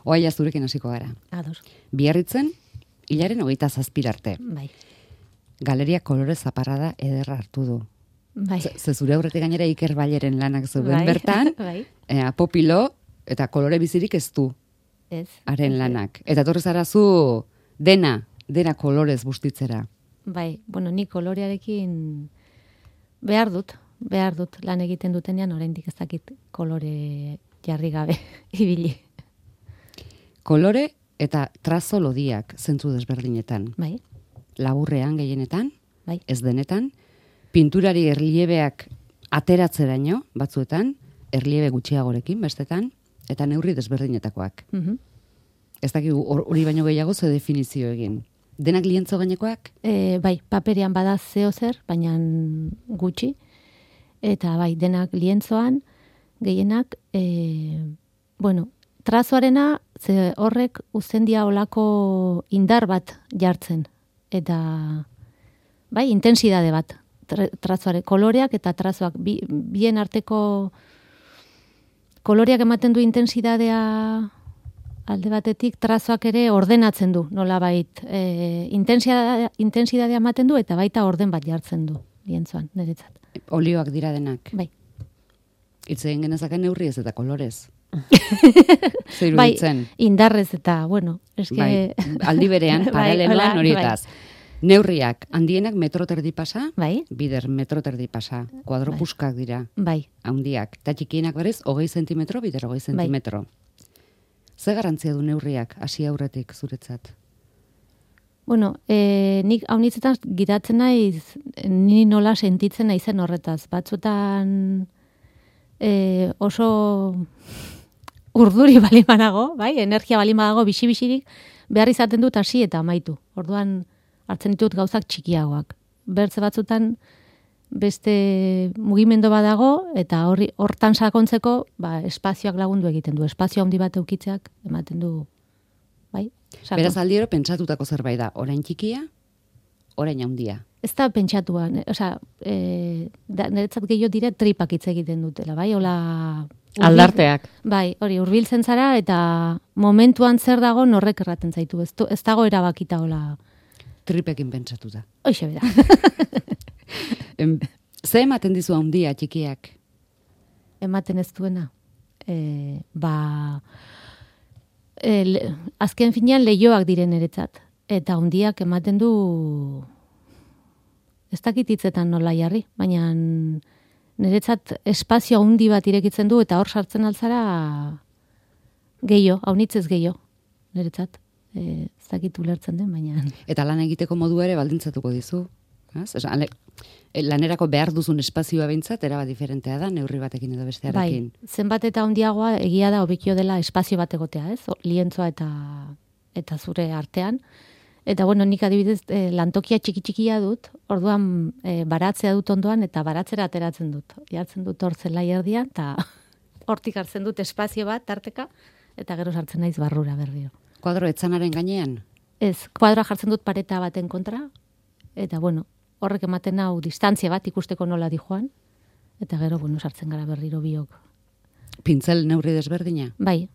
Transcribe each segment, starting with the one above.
Oaia zurekin hasiko gara. Ados. Biarritzen, hilaren 27 arte. Bai. Galeria kolore zaparrada ederra hartu du. Bai. Ze zure aurretik gainera Iker Balleren lanak zeuden bertan, Bai. Popilo eta kolore bizirik ez du. Ez. Haren lanak. Eta torri zara zu dena kolorez bustitzera. Bai, bueno, ni kolorearekin behar dut lan egiten dutenean oraindik ez dakit kolore jarri gabe ibili. Kolore eta trazo lodiak zentzu desberdinetan. Bai. Laburrean gehienetan, Bai. ez denetan, pinturari erliebeak ateratzeraino batzuetan, erliebe gutxiagorekin bestetan, eta neurri desberdinetakoak. Ez dakigu hori baino gehiago ze definizio egin. Denak lientzo gainekoak? Bai, paperean bada zeo zer, baina gutxi. Eta bai, denak lientzoan, gehienak, bueno, trazoarena, ze horrek uzendia olako indar bat jartzen. Eta, bai, intensidade bat. Trazoare, koloreak eta trazoak. Bien arteko koloreak ematen du intensidadea alde batetik, trazoak ere ordenatzen du, nolabait. Intensidadea ematen du eta baita orden bat jartzen du, lientzoan, niretzat. Olioak dira denak. Bai. Hitz egin genezake neurriez eta kolorez. Bai, indarrez eta, bueno, eske... Bai, aldi berean, paraleloan horietaz. Bai. Neurriak, handienak metro terdi pasa, bai. Bider metro terdi pasa, kuadropuskak dira, bai. Handiak, eta txikienak berez, 20 zentimetro, bider 20 zentimetro. Ze garantzia du neurriak, hasi aurretik zuretzat? Bueno, nik haunitzetan gidatzen naiz, ni nola sentitzen naizen horretaz. Batzuetan oso urduri balimanago, bai, energia balimanago, bisi-bisirik, behar izaten dut hasi eta amaitu. Orduan hartzen ditut gauzak txikiagoak. Bertze batzutan beste mugimendu badago eta hortan sakontzeko, espazioak lagundu egiten du. Espazio handi bat eukitzeak ematen du, bai? Sakon. Beraz aldiero pentsatutako zerbait da, orain txikia, orain handia. Ez da pentsatua, niretzat gehiago dire tripak hitz egiten dutela, bai? Aldarteak. Bai, hori, hurbiltzen zara eta momentuan zer dago norrek erraten zaitu. Ez dago erabakita hola. Tripekin pentsatuta. Hoxe bera. Ze ematen dizu handia txikiak? Ematen ez duena. Azken finean lehioak diren eretzat. Eta handiak ematen du ez dakit hitzetan nola jarri, baina niretzat espazio handi bat irekitzen du eta hor sartzen altzara gehiago, haunitzez gehiago, niretzat. Ez dakit ulertzen den, baina... Eta lan egiteko modu ere baldintzatuko dizu. Lanerako behar duzun espazioa behintzat, eraba diferentea da, neurri batekin edo bestearekin. Bai, zenbat eta handiagoa egia da hobekio dela espazio bat egotea, ez? Lientzoa eta zure artean. Eta bueno, nik adibidez lantokia txiki-txikia dut, orduan baratzea dut ondoan eta baratzera ateratzen dut. Jartzen dut hor zelai erdian, eta hortik hartzen dut espazio bat, tarteka, eta gero sartzen naiz barrura berriro. Kuadro etzanaren gainean? Ez, kuadroa jartzen dut pareta baten kontra, eta bueno, horrek ematen hau distantzia bat ikusteko nola di joan, eta gero, bueno, sartzen gara berriro biok. Pintzel neurri desberdina? Bai,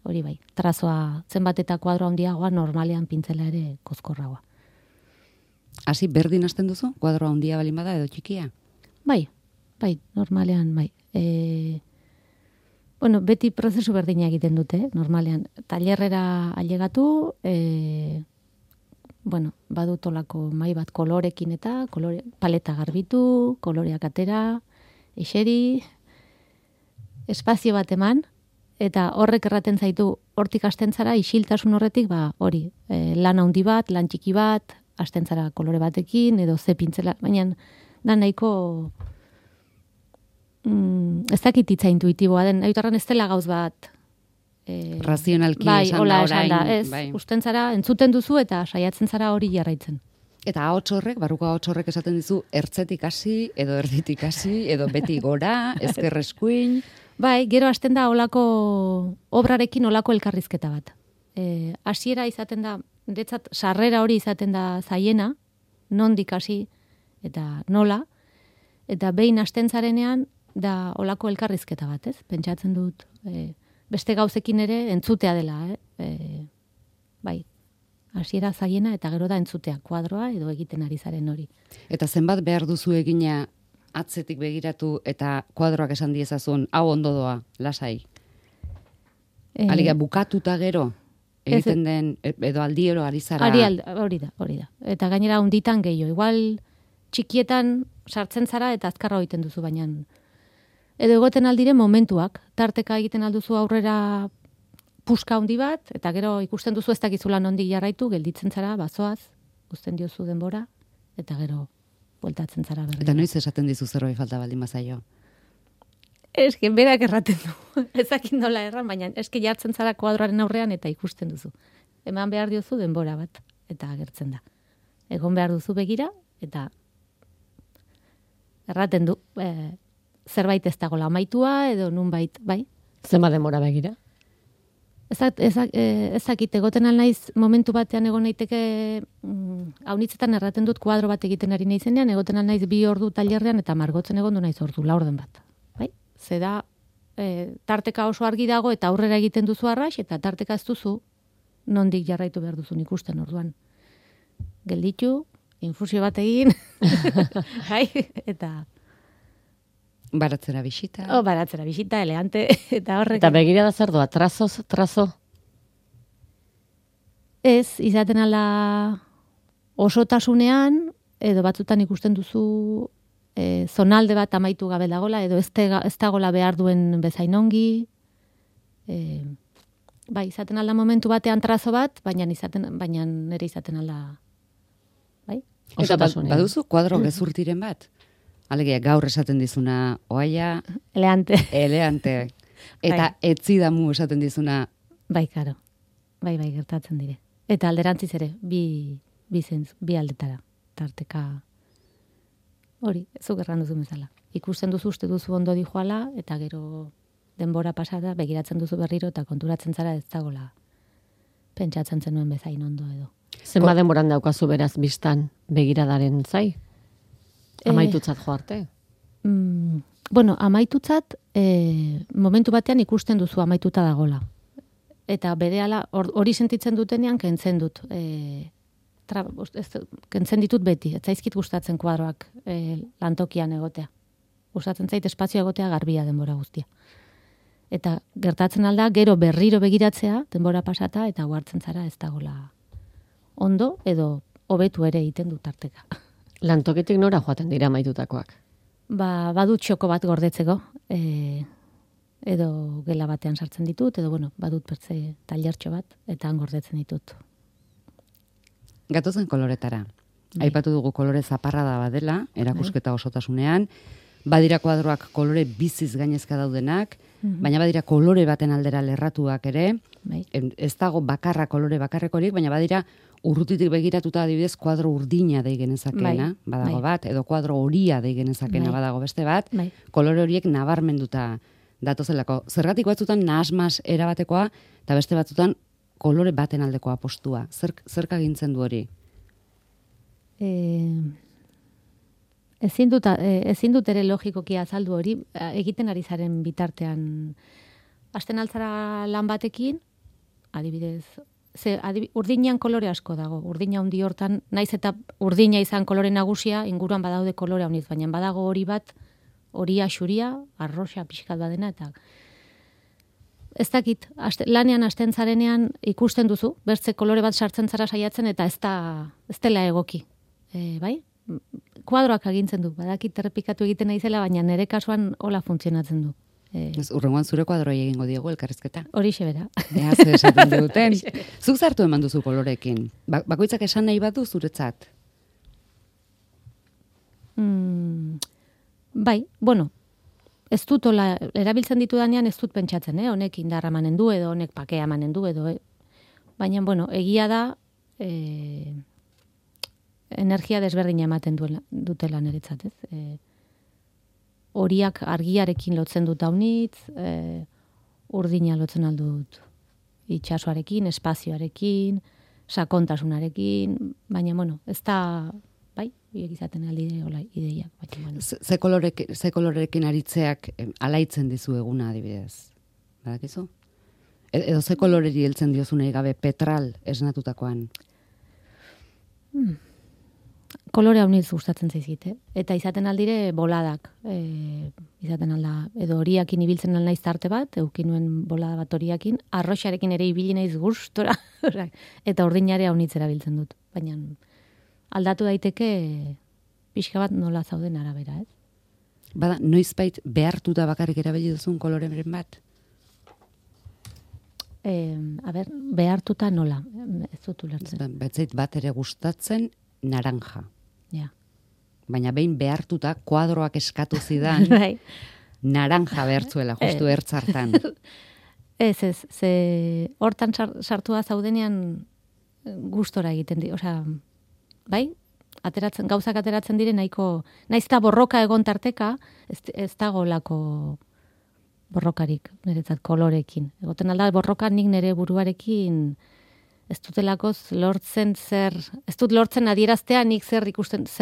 hori bai. Trazoa zenbat eta kuadro handiagoa, normalean pintzela ere kozkorragoa. Hasi berdin hasten duzu? Kuadro handia balin bada edo txikia? Bai, normalean, bai. Bueno, beti prozesu berdina egiten dute, normalean. Tailerrera ailegatu, bueno, badut olako mai bat kolorekin eta paleta garbitu, koloreak atera, eseri, espazio bat eman, eta horrek erraten zaitu hortik hasten zara, isiltasun horretik, hori, lan handi bat, lan txiki bat, hasten zara kolore batekin, edo ze pintzela, baina da nahiko... ez dakit hitza intuitiboa den, aiutarran ez dela gauz bat... razionalki esan da orain. Ez, usten zara, entzuten duzu eta saiatzen zara hori jarraitzen. Eta ahots horrek, barruko ahots horrek esaten dizu, ertzetik hasi, edo erditik hasi, edo beti gora, ezker eskuin... Bai, gero hasten da olako obrarekin olako elkarrizketa bat. Hasiera izaten da, niretzat sarrera hori izaten da zaiena, nondik hasi eta nola, eta behin hasten zarenean da olako elkarrizketa bat, ez? Pentsatzen dut, beste gauzekin ere entzutea dela, bai. Hasiera zaiena eta gero da entzutea kuadroa edo egiten ari zaren hori. Eta zenbat behar duzu egina atzetik begiratu eta kuadroak esan diezazun, hau ondo doa, lasai. Aliga bukatuta gero, egiten den, edo aldiero ari zara. Hori da. Eta gainera hunditan gehiago. Igual txikietan sartzen zara eta azkarra egiten duzu, baina edo egoten aldire momentuak. Tarteka egiten alduzu aurrera puska handi bat, eta gero ikusten duzu ez dakizula nondik jarraitu, gelditzen zara, bazoaz, uzten diozu denbora, eta gero bueltatzen zara berri. Eta noiz esaten dizu zerbait falta baldin bazaio? Eske berak erraten du. Ezakin nola erran, baina eske jartzen zara kuadroaren aurrean eta ikusten duzu. Eman behar diozu denbora bat, eta agertzen da. Egon behar duzu begira, eta erraten du, zerbait ez dagoela amaitua, edo nunbait, bai? Zenba denbora begira? Ezakit, egoten alnaiz momentu batean egon naiteke, haunitzetan erraten dut kuadro bat egiten ari naizenean, egoten alnaiz 2 ordu tailerrean eta margotzen egon du naiz ordu, 4 orden bat. Bai? Zeda, tarteka oso argi dago eta aurrera egiten duzu arras, eta tarteka ez duzu nondik jarraitu behar duzun ikusten orduan. Gelditu, infusio bat egin, bai? Eta baratzera bisita. Baratzera bisita, elegante, eta horrek. Eta begira da zer doa, trazo? Ez, izaten ala osotasunean, edo batzutan ikusten duzu zonalde bat amaitu gabe dagola, edo ez dagola behar duen bezain ongi. Bai, izaten alda momentu batean trazo bat, baina nire izaten alda. Bai? Osotasunean. Baduzu kuadro gezurtiren bat? Alegia, gaur esaten dizuna, oaia... Eleante. Eta etzidamu esaten dizuna... Bai, karo. Bai, gertatzen dire. Eta alderantziz ere, bi aldetara. Tarteka hori, zuk erran duzu bezala. Ikusten duzu, uste duzu ondo dijoala, eta gero denbora pasada, begiratzen duzu berriro, eta konturatzen zara ez dagola pentsatzen zenuen bezain ondo edo. Zenba denboran daukazu beraz biztan begiradaren zai? Amaitutzat jo arte? Bueno, amaitutzat, momentu batean ikusten duzu amaituta dagola. Eta berehala, hori sentitzen dutenean, kentzen dut. Kentzen ditut beti. Ez zaizkit gustatzen kuadroak lantokian egotea. Gustatzen zait espazio egotea garbia denbora guztia. Eta gertatzen alda, gero berriro begiratzea, denbora pasata, eta huartzen zara ez dagola ondo, edo hobetu ere egiten dut tarteka. Lantoketik nora joaten dira amaitutakoak? Badut txoko bat gordetzeko, edo gela batean sartzen ditut, edo badut bertze tailertxo bat, eta han gordetzen ditut. Gatozen koloretara. Aipatu dugu kolore zaparrada badela, erakusketa osotasunean, badira kuadroak kolore biziz gainezka daudenak, baina badira kolore baten aldera lerratuak ere, ez dago bakarra kolore bakarrekorik, baina badira urrutitik begiratuta adibidez kuadro urdina dei genezakena, badago bat, edo kuadro horia dei genezakena badago beste bat, kolore horiek nabarmenduta datozelako. Zergatik batzutan nahasmas erabatekoa, eta beste batzutan kolore baten aldekoa postua. Zerk agintzen du hori? Ezin dut ere logikoki azaldu hori, egiten ari zaren bitartean. Hasten altzara lan batekin, adibidez, urdinean kolore asko dago. Urdina handi hortan, naiz eta urdina izan kolore nagusia, inguruan badaude kolore handiz, baina badago hori bat, horia xuria, arroxa pixkat badena, eta ez dakit, lanean hasten zarenean ikusten duzu, bertze kolore bat sartzen zara saiatzen, eta ez dela egoki. Bai? Kuadroak agintzen du, badakit errepikatu egiten naizela, baina nire kasuan hola funtzionatzen du. Urrengoan zure kuadroi egingo diegu elkarrizketa. Horixe bera. Ea, zer esaten duten. Zuk zartu eman duzu kolorekin. Bakoitzak esan nahi batu zuretzat? Bai, ez dut erabiltzen ditudanean ez dut pentsatzen, honek indarra emanen du, edo honek pakea emanen du, edo, baina, egia da, energia desberdina ematen dutela niretzat, ez? Horiak argiarekin lotzen dut haunitz, urdina lotzen aldut itxasoarekin, espazioarekin, sakontasunarekin, baina, ez da, bai, hiek izaten aldide hola ideiak. Ze kolorerekin aritzeak alaitzen dizu eguna adibidez? Badakizu? Edo ze koloreri heltzen diozu nahi gabe petral esnatutakoan? Kolore hau niz gustatzen zaizkit, eta izaten aldire boladak, izaten alda, edo horiakin ibiltzen naiz tarte bat, eukin nuen bolada bat horiakin, arroxarekin ere ibili naiz gustora, eta urdinare hau nitz erabiltzen dut, baina aldatu daiteke pixka bat nola zauden arabera, ez? Bada, noizbait behartuta bakarrik erabili duzun koloreren bat? Behartuta nola, ez dut ulertzen. Betzait bat ere gustatzen naranja. Ja. Baina behin behartuta kuadroak eskatu zidan naranja behartzuela, justu ertzartan. Ez, ze hortan sartua zaudenean gustora egiten di, osea, bai? Gauzak ateratzen dire nahiko, naizta borroka egon tarteka, ez dago lako borrokarik, niretzat kolorekin. Egoten alda borroka nik nire buruarekin ez dutelakoz lortzen ez dut lortzen adieraztea nik zer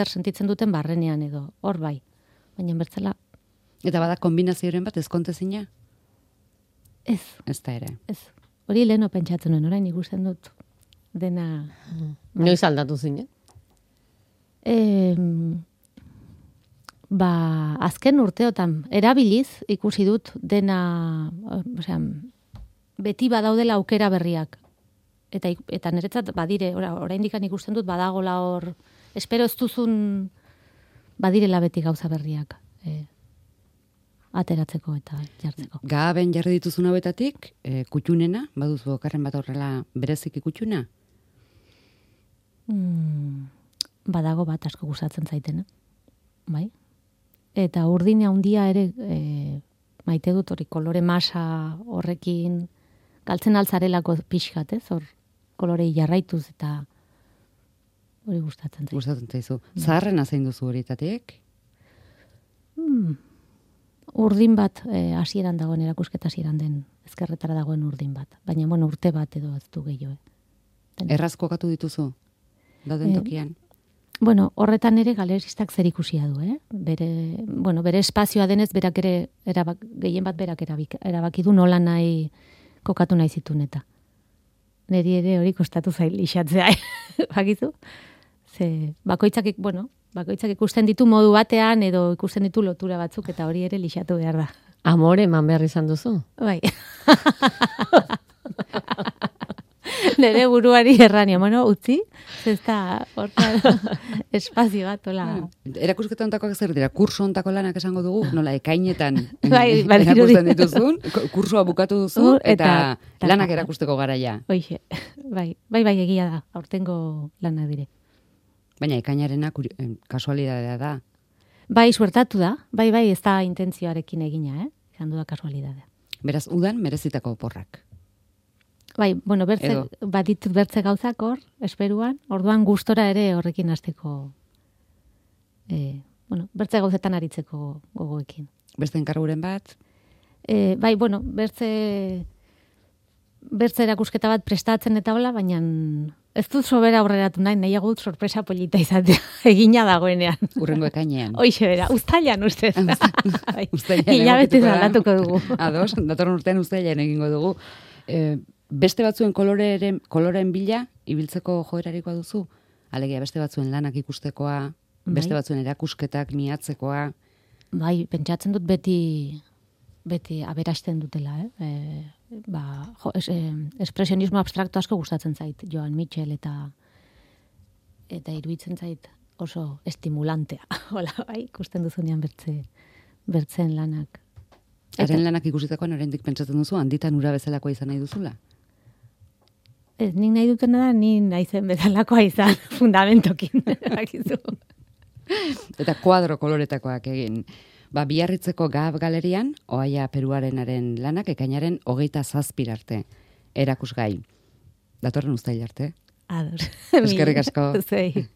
sentitzen duten barrenean edo, hor bai. Baina bertzela. Eta bada kombinazioaren bat ezkontezina? Ez. Ez da ere. Ez. Hori leheno pentsatzen nuen, orain ikusten dut dena. Noiz aldatu zinen? Azken urteotan erabiliz ikusi dut dena, osea, beti badaudela aukera berriak. Eta niretzat badire, oraindik ikusten dut badagola hor, espero ez duzun badirela beti gauza berriak ateratzeko eta jartzeko. Gaben jarri dituzun hauetatik, kutxunena, baduzu okarren bat horrela bereziki kutxuna? Badago bat asko gustatzen zaitena, bai? Eta urdina handia ere maite dut hori kolore masa horrekin galtzen altzarelako pixkat, ez? Hor kolorei jarraituz eta hori gustatzen zaizu. Gustatzen zaizu. Zaharrena zein duzu horietatik? Urdin bat hasieran dagoen erakusketa hasieran den ezkerretara dagoen urdin bat. Baina urte bat edo ez du gehiago. Erraz kokatu dituzu? Dauden tokian? Horretan ere galeristak zer ikusia du, bere espazioa denez berak ere gehien bat berak erabaki du nola nahi kokatu nahi zituen eta. Neri ere hori kostatu zail lixatzea, bakizu? Ze bakoitzak ikusten ditu modu batean edo ikusten ditu lotura batzuk eta hori ere lixatu behar da. Amore eman behar izan duzu? Bai. Nere buruari errania, utzi, ez da espazio bat, hola. Erakusketa ontakoak zer dira, kurso ontako lanak esango dugu, nola ekainetan erakusten dituzun, kursoa bukatu duzu, eta lanak erakusteko garaia. Oixe, bai, egia da, aurtengo lana dire. Baina ekainarena kasualidadea da. Bai, suertatu da, bai, ez da intentzioarekin egina, izan du da kasualidadea. Beraz, udan merezitako oporrak. Bai, baditut bertze gauzak hor, esperuan, orduan gustora ere horrekin hasteko, bertze gauzetan aritzeko gogoekin. Beste enkarguren bat? Bai, bertze erakusketa bat prestatzen eta hola, baina ez dut sobera aurreratu nahiago dut sorpresa polita izatea, egina dagoenean. Urrengo ekainean. Hoixe bera, uztailan ustez. Hilabetez aldatuko dugu. Ados, datorren urtean uztailan egingo dugu. Beste batzuen koloreen bila, ibiltzeko joerarikoa duzu? Alegia, beste batzuen lanak ikustekoa, beste batzuen erakusketak miatzekoa. Bai, pentsatzen dut beti aberasten dutela, espresionismo abstrakto asko gustatzen zait, Joan Mitchell eta iruditzen zait oso estimulantea. Hola, bai, ikusten duzunean bertzen lanak. Haren lanak ikusitakoan oraindik pentsatzen duzu, handitan ura bezalakoa izan nahi duzula? Ez, nik nahi dutena da, ni naizen bezalakoa izan, fundamentokin. Eta kuadro koloretakoak egin. Biarritzeko Gab galerian, Oaia Peruarenaren lanak ekainaren 27 arte. Erakusgai. Datorren uztail arte. Ados. Eskerrik asko. Zei.